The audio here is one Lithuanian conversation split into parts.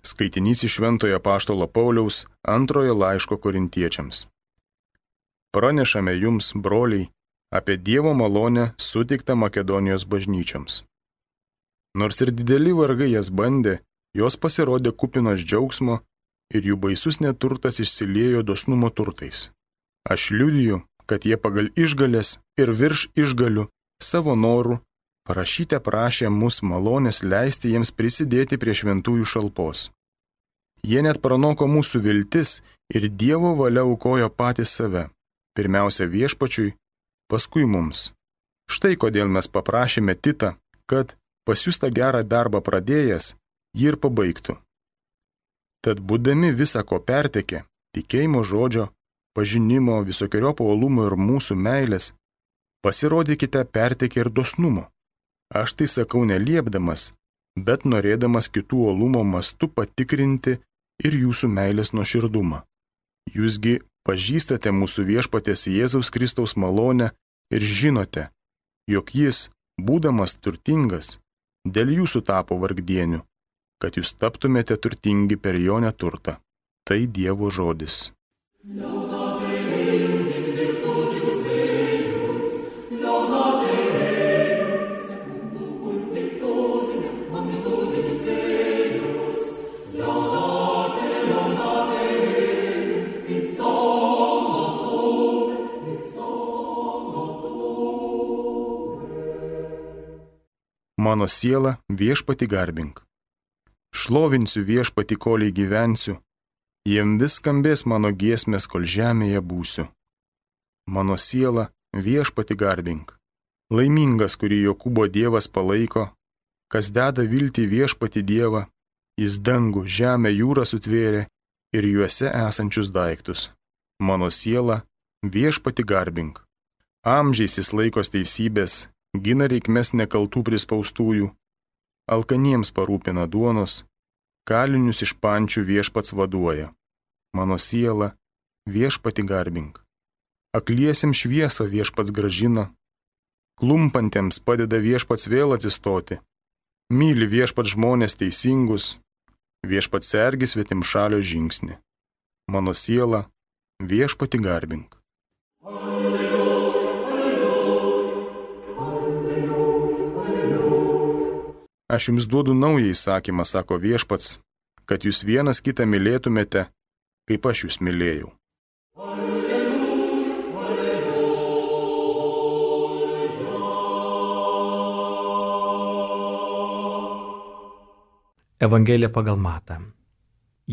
Skaitinys iš Šventojo Apaštalo Pauliaus antrojo laiško Korintiečiams. Pranešame jums, broliai, apie Dievo malonę suteiktą Makedonijos bažnyčioms. Nors ir dideli vargai jas bandė, jos pasirodė kupinos džiaugsmo ir jų baisus neturtas išsiliejo dosnumo turtais. Aš liudiju, kad jie pagal išgalės ir virš išgalių savo norų parašyte prašė mus malonės leisti jiems prisidėti prie šventųjų šalpos. Jie net pranoko mūsų viltis ir Dievo valia aukojo patys save, pirmiausia viešpačiui, paskui mums. Štai kodėl mes paprašėme Titą, kad pasiųstą gerą darbą pradėjęs, jį ir pabaigtų. Tad būdami visa ko pertekė, tikėjimo žodžio, pažinimo, visokiojopo uolumo ir mūsų meilės, pasirodykite pertekę ir dosnumo. Aš tai sakau neliepdamas, bet norėdamas kitų uolumo mastu patikrinti ir jūsų meilės nuoširdumą. Jūsgi pažįstate mūsų viešpaties Jėzaus Kristaus malonę ir žinote, jog jis, būdamas turtingas, dėl jūsų tapo vargdieniu, kad jūs taptumėte turtingi per jo neturtą. Tai Dievo žodis. Mano siela, viešpatį garbink. Šlovinsiu viešpatį, kol gyvensiu, jiem vis skambės mano giesmės, kol žemėje būsiu. Mano siela, viešpatį garbink. Laimingas, kurį Jokūbo Dievas palaiko, kas deda viltį viešpatį Dievą, jis dangų, žemę, jūrą sutvėrė ir juose esančius daiktus. Mano siela, viešpatį garbink. Amžiais jis laikos teisybės, gina reikmes nekaltų prispaustųjų, alkaniems parūpina duonos, kalinius iš pančių viešpats vaduoja. Mano siela, viešpatį garbink. Akliesiems šviesą viešpats gražina, klumpantiems padeda viešpats vėl atsistoti. Myli viešpats žmonės teisingus, viešpats sergi svetimšalio žingsnį. Mano siela, viešpatį garbink. Aš jums duodu naują įsakymą, sako viešpats, kad jūs vienas kitą mylėtumėte, kaip aš jūs mylėjau. Evangelija pagal Matą.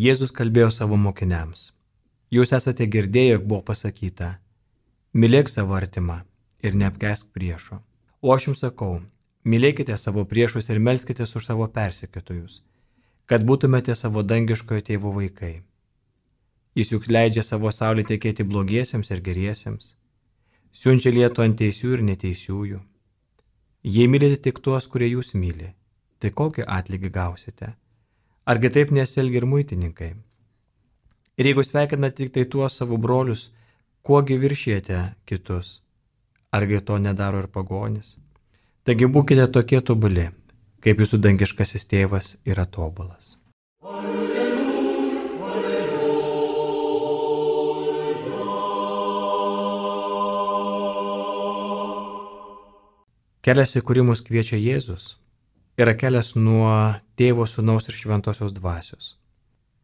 Jėzus kalbėjo savo mokiniams. Jūs esate girdėję, jog buvo pasakyta, mylėk savo artimą ir neapkęsk priešo. O aš jums sakau, mylėkite savo priešus ir melskitės už savo persekiotojus, kad būtumėte savo dangiškojo tėvo vaikai. Jis juk leidžia savo saulę tekėti blogiesiems ir geriesiems, siunčia lietų ant teisių ir neteisiųjų. Jei mylite tik tuos, kurie jūs myli, tai kokį atlygį gausite? Argi taip nesielgia ir muitininkai? Ir jeigu sveikinate tik tai tuos savo brolius, kuogi viršijate kitus? Argi to nedaro ir pagonis? Taigi būkite tokie tobuli, kaip jūsų dangiškasis tėvas yra tobulas. Kelias, į kurį mus kviečia Jėzus, yra kelias nuo Tėvo, Sūnaus ir Šventosios Dvasios.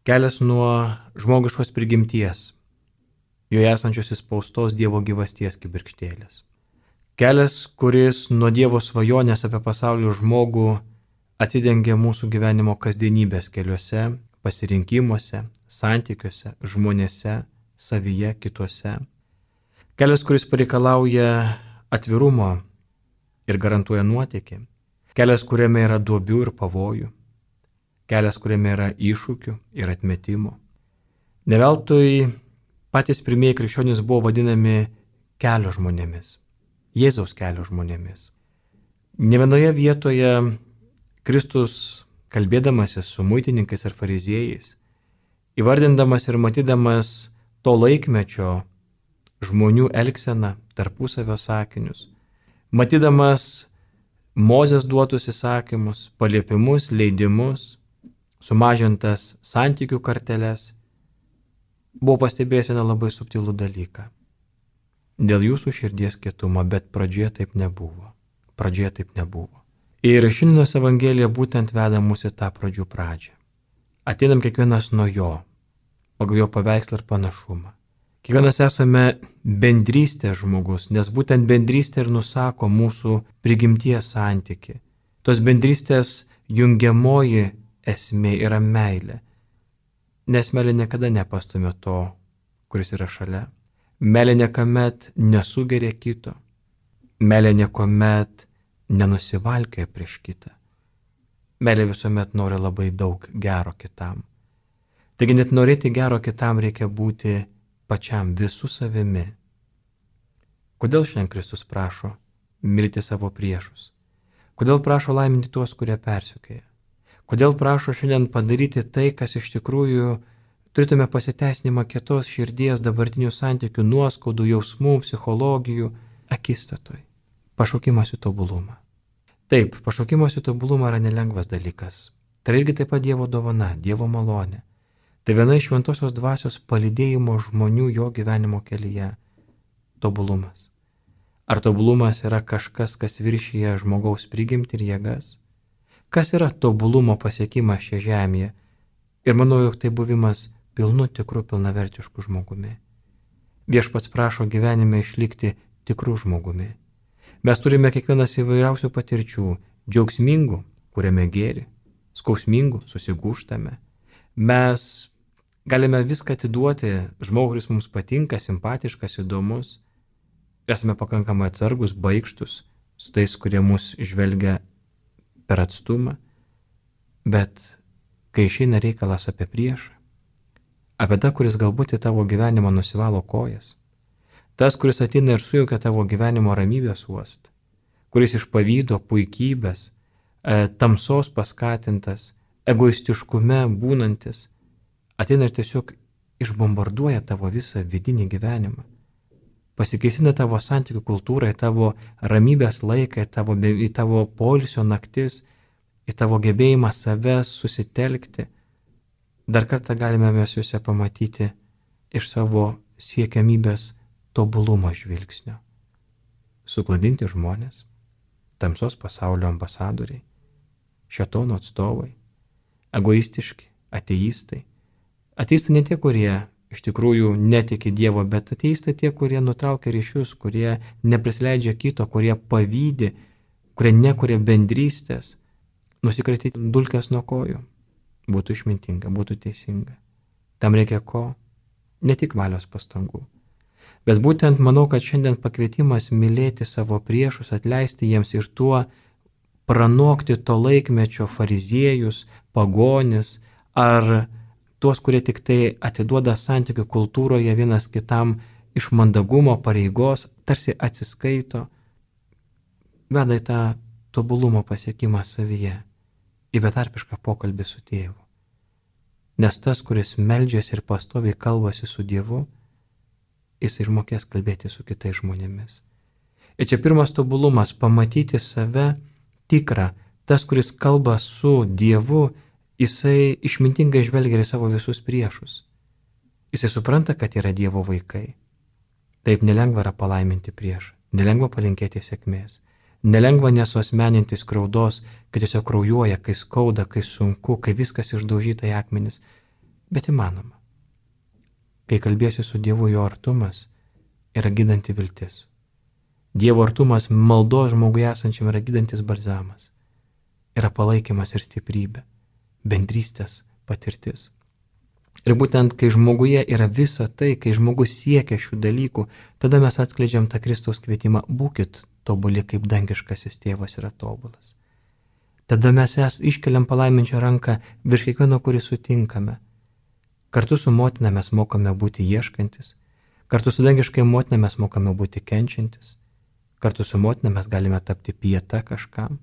Kelias nuo žmogiškos prigimties, joje esančios įspaustos Dievo gyvasties kibirkštėlės. Kelias, kuris nuo Dievo svajonės apie pasaulio žmogų atsidengia mūsų gyvenimo kasdienybės keliuose, pasirinkimuose, santykiuose, žmonėse, savyje, kituose. Kelias, kuris pareikalauja atvirumo ir garantuoja nuotėkį. Kelias, kuriame yra duobių ir pavojų. Kelias, kuriame yra iššūkių ir atmetimų. Ne veltui patys pirmieji krikščionys buvo vadinami kelio žmonėmis. Jėzaus kelio žmonėmis. Ne vienoje vietoje Kristus, kalbėdamasis su muitininkais ir fariziejais, įvardindamas ir matydamas to laikmečio žmonių elgseną, tarpusavio sakinius, matydamas Mozės duotus įsakymus, paliepimus, leidimus, sumažintas santykių karteles, buvau pastebėjęs vieną labai subtilų dalyką. Dėl jūsų širdies kietumo, bet pradžioje taip nebuvo. Ir šiandienos Evangelija būtent veda mus į tą pradžių pradžią. Ateinam kiekvienas nuo jo, pagal jo paveikslą ir panašumą. Kiekvienas esame bendrystės žmogus, nes būtent bendrystė ir nusako mūsų prigimties santyki. Tos bendrystės jungiamoji esmė yra meilė. Nes meilė niekada nepastumia to, kuris yra šalia. Meilė niekuomet nesugeria kito. Meilė niekuomet nenusivalkioja prieš kitą. Meilė visuomet nori labai daug gero kitam. Taigi net norėti gero kitam reikia būti pačiam visų savimi. Kodėl šiandien Kristus prašo mylėti savo priešus? Kodėl prašo laiminti tuos, kurie persekioja? Kodėl prašo šiandien padaryti tai, kas iš tikrųjų turėtume pasiteisinimą kietos širdies, dabartinių santykių, nuoskaudų, jausmų, psichologijų akistatoj? Pašaukimas į tobulumą. Taip, pašaukimas į tobulumą yra nelengvas dalykas. Tai irgi taip pat Dievo dovana, Dievo malonė. Tai viena iš šventosios dvasios palydėjimo žmonių jo gyvenimo kelyje – tobulumas. Ar tobulumas yra kažkas, kas viršyje žmogaus prigimtį ir jėgas? Kas yra tobulumo pasiekimas šia žemėje? Ir manau, jog tai buvimas pilnu tikru pilnavertišku žmogumi. Viešpats prašo gyvenime išlikti tikru žmogumi. Mes turime kiekvienas įvairiausių patirčių, džiaugsmingų, kuriame gėrį, skausmingų, susigūžtame. Mes galime viską atiduoti žmogui, kuris mums patinka, simpatiškas, įdomus. Esame pakankamai atsargus, baikštus su tais, kurie mus žvelgia per atstumą. Bet kai išeina reikalas apie priešą, apie tą, kuris galbūt į tavo gyvenimą nusivalo kojas, tas, kuris ateina ir sujaukia tavo gyvenimo ramybės uostą, kuris iš pavydo, puikybės, tamsos paskatintas, egoistiškume būnantis, ateina ir tiesiog išbombarduoja tavo visą vidinį gyvenimą. Pasikeisina tavo santykių kultūrą, į tavo ramybės laiką, į tavo poilsio naktis, į tavo gebėjimą save susitelkti. Dar kartą galime mes juose pamatyti iš savo siekiamybės tobulumo žvilgsnio. Sukladinti žmonės, tamsos pasaulio ambasadoriai, šėtono atstovai, egoistiški, ateistai. Ateistai ne tie, kurie iš tikrųjų netiki Dievo, bet ateistai tie, kurie nutraukia ryšius, kurie neprisileidžia kito, kurie pavydi, kurie nekuria bendrystės, nusikratyti dulkes nuo kojų. Būtų išmintinga, būtų teisinga. Tam reikia ko? Ne tik valios pastangų. Bet būtent manau, kad šiandien pakvietimas mylėti savo priešus, atleisti jiems ir tuo pranokti to laikmečio fariziejus, pagonis ar tuos, kurie tik tai atiduoda santykių kultūroje vienas kitam iš mandagumo, pareigos, tarsi atsiskaito, veda į tą tobulumo pasiekimą savyje, į betarpišką pokalbį su Tėvu. Nes tas, kuris meldžiasi ir pastoviai kalbasi su Dievu, jis išmokės kalbėti su kitais žmonėmis. Ir čia pirmas tobulumas – pamatyti save tikrą. Tas, kuris kalba su Dievu, jisai išmintingai žvelgia į savo visus priešus. Jisai supranta, kad yra Dievo vaikai. Taip nelengva yra palaiminti priešą, nelengva palinkėti sėkmės. Nelengva nesuasmeninti skriaudos, kai tiesiog kraujuoja, kai skauda, kai sunku, kai viskas išdaužyta į akmenis, bet įmanoma. Kai kalbėsi su Dievu, jo artumas yra gydanti viltis. Dievo artumas maldos žmogui esančiam yra gydantis balzamas, yra palaikymas ir stiprybė, bendrystės patirtis. Ir būtent kai žmoguje yra visa tai, kai žmogus siekia šių dalykų, tada mes atskleidžiam tą Kristaus kvietimą: būkit tobuli, kaip dangiškasis tėvas yra tobulas. Tada mes iškeliam palaiminčio ranką virš kiekvieno, kurį sutinkame. Kartu su motina mes mokame būti ieškantis, kartu su dangiškai motina mes mokame būti kenčiantis, kartu su motina mes galime tapti pieta kažkam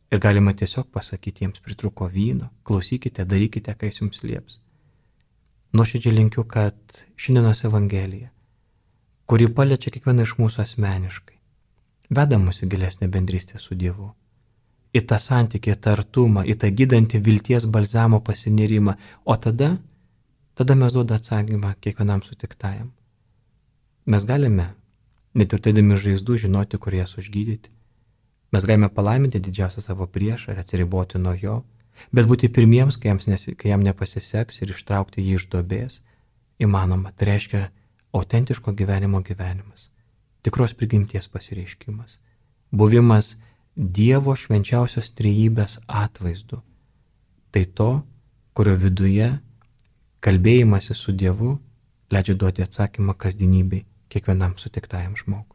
ir galime tiesiog pasakyti: jiems pritruko vyno, klausykite, darykite, ką jis jums lieps. Nuoširdžiai linkiu, kad šiandienos Evangelija, kuri paliečia kiekvieną iš mūsų asmeniškai, veda mus į gilesnę bendrystę su Dievu. į tą santykį, į tą artumą, į tą gydantį vilties balzamo pasinerimą. O tada mes duoda atsakymą kiekvienam sutiktajam. Mes galime, net ir turėdami žaizdų, žinoti, kur jas užgydyti. Mes galime palaiminti didžiausią savo priešą ir atsiriboti nuo jo, bet būti pirmiems, kai jam nepasiseks, ir ištraukti jį iš duobės įmanoma. Tai reiškia autentiško gyvenimo gyvenimas, tikros prigimties pasireiškimas, buvimas Dievo švenčiausios trejybės atvaizdu. Tai to, kurio viduje kalbėjimasis su Dievu leidžia duoti atsakymą kasdienybei kiekvienam sutiktajam žmogui.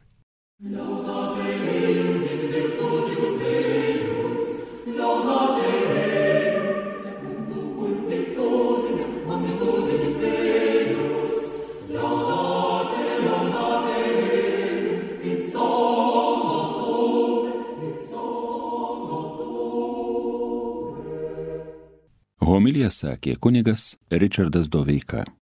Homiliją sakė kunigas Ričardas Doveika.